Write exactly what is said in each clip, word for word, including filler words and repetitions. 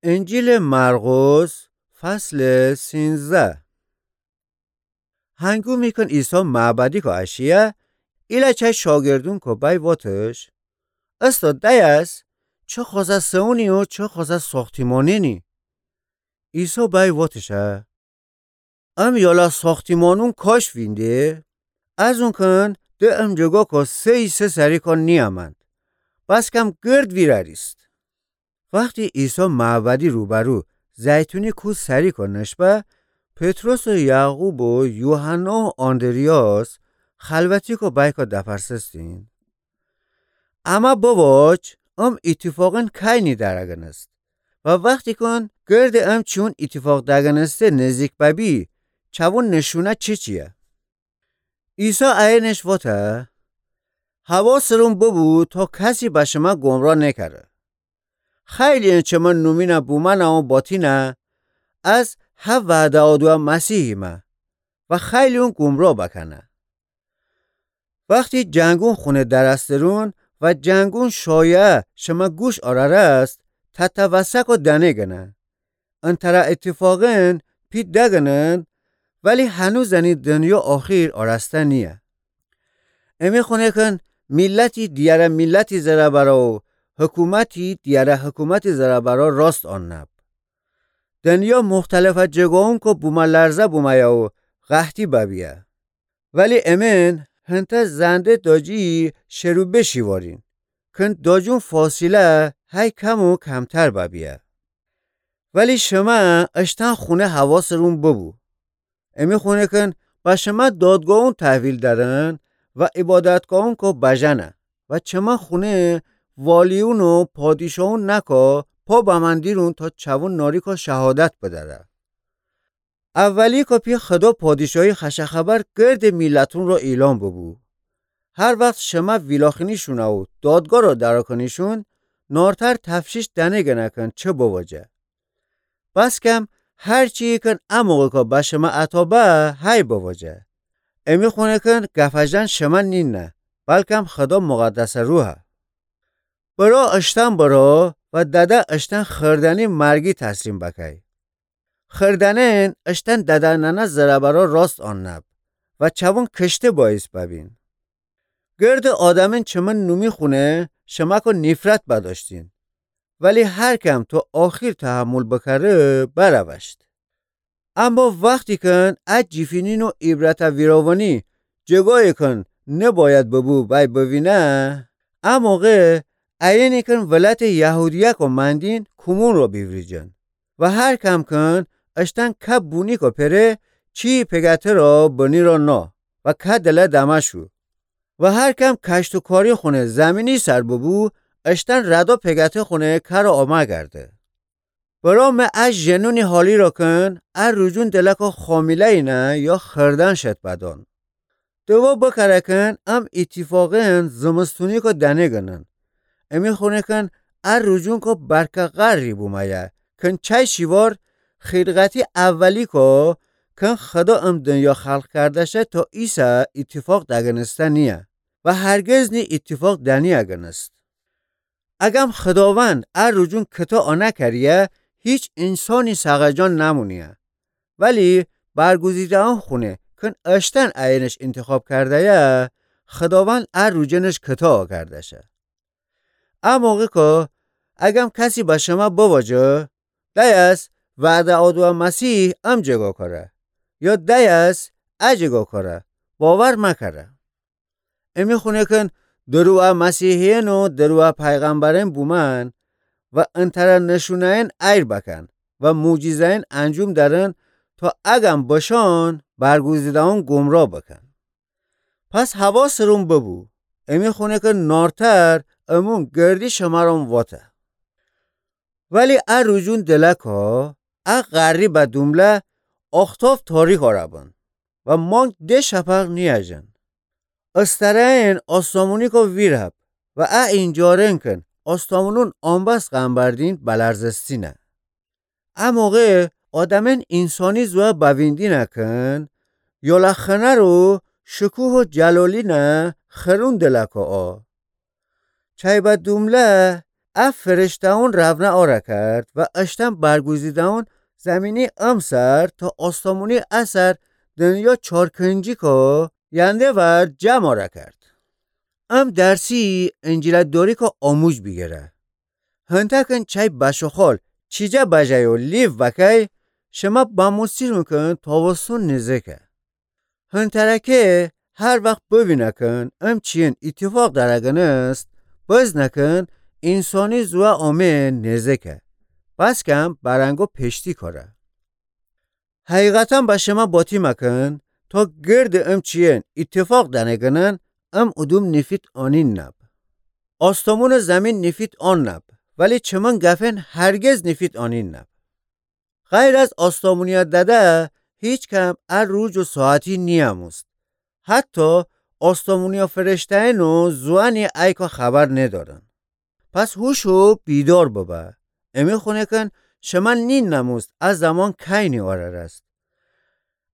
انجیلٚ مرقس، فصلٚ سینزده. هنگومی کن عیسی معبدیکٚ اشیه، ایله چای شاگردونکو بای واتش: استاد، دأیس چه خوسه سئونی و چه خوسه ساختیمانینی؟ عیسی بای واتشه: ام یالا ساختیمانون کاش وینده، از اون کن ده ام جگاکو سه‌یی سه سریکا نیامند، بسکم گرد ویراریست. وختی عیسی معبدی روبرو زیتونی کوه سریکا نشبه، پطرس و یعقوب و یوحنا و آندریاس خلوتیکا بایکا دپرسستین: امه بواج، ام ایتیفاقین کینی درگنست؟ و وختی کن گردٚ ام چیون ایتیفاق دگنسته نزدیک ببی، چوون نشونه چیچیه؟ عیسی ایینش واته: حواسٚ رون ببو تا کسی به شمه گمراه نکره. خیلی‌یین چه من نومینه بومنه و باتینه از هه وعده آدوه مسیحیمه و خیلی‌یون گمراه بکنه. وختی جنگون خونه درسترون و جنگون شایعه شمه گوش آرارست، تتوسکو دنه گنه. انتره ایتیفاقین پی دگنن، ولی هنوزنی دنیا آخیر آراسته نییه. امی خونه کن میلتی دیاره میلتی زره برا و حکومتی دیاره حکومتی زره برا راست آننب. دنیا مختلفه جگاونکو بومه لرزه بومه‌یه و قحطی ببیه. ولی امین هنته زنده داجی شروبه شیوارین، کن داجون فاصله هی کم و کمتر ببیه. ولی شمه اشتن خونه حواسٚ رون ببو. امی خونه کن به شمه دادگاهون تحویل درن و عبادتگاهونکو بجنه و چه من خونه والیون و پادیشاهون نکا پا بمن دیرون تا چوون ناریکا شهادت بدره. اولی کا پی خدا پادیشاهی خوش خبر گردٚ میلتون را اعلان ببو. هر وخت شمه ویلاخینیشونه و دادگاه را دراکنیشون، نارتر تفشیش دنه گنه کن چه بواجه. بسکم هر چی کن اموقع کا به شمه عطا به، هی بواجه. امی خونه کن گفجن شمه نینه، بلکم خدا مقدس روحه. برا اشتن برا و دده اشتن خردنی مرگی تسلیم بکی. خردنین اشتن ددننه زره برا راست آننب و چوون کشته بایس ببین. گردٚ آدمین چه من نومی خونه شمه کا نیفرت بداشتین، ولی هر کم تا آخیر تحمل بکره بروشت. اما وختی کن ا جیفینین و عبرته ویراونی جگایی کن نباید ببو بی بوینه، اموقع ایینی کن ولایتٚ یهودیه کا مندین کومون را بیوریجن و هر کم کن اشتن که بونی کا پره چی پگته را بنی را نا و که دله دمه شو و هر کم کشت و کاری خونه زمینی سر ببو، اشتن ردا پگته خونه کر و آمه گرده. برا مه ا ژنونی حالی را کن ا روجون دله کا خامیله‌یینه یا خردن شد بدان. دوا بکره کن ام ایتیفاقین زمستونی کا دنه گنن. امی خونه کن ا روجون کا برکه غری بومه‌یه کن چای شیوار خیلقتی اولی کا کن خدا ام دنیا خلق کردشه تا ایسه ایتیفاق دگنسته نییه و هرگز نی ایتیفاق دنیه گنست. اگم خداوند ا روجون کتا آنه کریه، هیچ اینسانی سقه جان نمونیه. ولی برگزیده‌ان خونه کن اشتن ایینش انتخاب کرده‌یه، خداوند ا روجنش کتا آکردشه. ا موقع کا اگم کسی به شمه بواجه، دایس وعده آدوه مسیح ام جگا کره، یا دایس ا جگا کره، باور مکره. امی خونه کن دروغه مسیحیین و دروغه پیغمبرین بومن و انتره نشونه‌یین ایر بکن و معجزه‌یین انجوم درن تا اگم بشان برگزیده‌ان گمراه بکن. پس حواسٚ رون ببو، امی خونه کن نارتر امون گردی شمرون واته. ولی ا روجون دله کا ا غری به دومله آختاف تاریک آره بن و مانک ده شپق نیاجن. استره‌یین آسمونی کا ویرهب و ا اینجارن کن آسمونون آنبس غمبردین بلرزستینه. ا موقع آدمین اینسانی زوه بویندینه کن، یالا خنر و شکوه و جلالینه خرون دله کا آ. چای به دومله ا فرشته‌أون رونه اَ را کرد و اشتن برگوزیده‌أون زمینی امسر تا آسمونی ا سر دنیا چارکنجی کو ینده ور جمع اَ را کرد. ام درسی انجیل دوری کو آموج بیگیره. هنتأ کن چای بشوخول چیجه بجای و لیو وکای، شمه بموسیرون کن تاوسون نیزیکه. هنتره کی هر وخت بوینه کن ام چیین ایتیفاق دره گنست، بزنه کن اینسانی زوه آمه نیزیکه. بس کم برنگو پیشتی کوره. حقیقتاً به شمه باتیمه کن، تا گرد ام چیین ایتیفاق دنه گنن، ام اودوم نیفید آنین نب. آسمون و زمین نیفید آن نب، ولی چمن گفین هرگز نیفید آنین نب. غیر از آسمونیا دده، هیچ کم ا روج و ساعتی نیموست. حتی آسمونیا فرشته‌أنو زوأنی ایکا خبر ندارن. پس هوش و بیدار ببه. امی خونه کن شمه نینموست ا زمان کینی اوررست.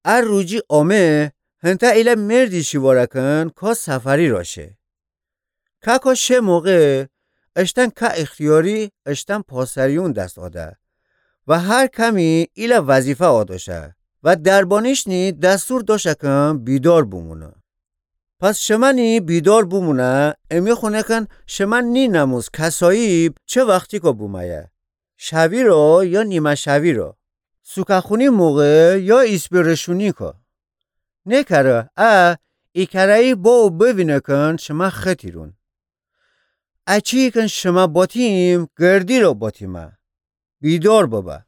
ا روجی آمه، هنتأ ایله مردی شیواره کن کا سفری را شه. کاکا شه موقع اشتن کا اختیاری اشتن پاسریون دس آده و هر کمی ایله وظیفه آداشه و دربانیشنی دستور داشه کن بیدار بومونه. پس شمنی بیدار بومونه، امی خونه کن شمه نینموست کسایی چه وختیکا بومه‌یه. شوی را یا نیمه شوی را. سوکه‌خونی موقع یا ایسپی رشونیکا. نیکره ا ایکره‌یی با و بوینه کن شمه ختیرون. اچی کن شمه باتیم گردی را باتیمه. بیدار ببه.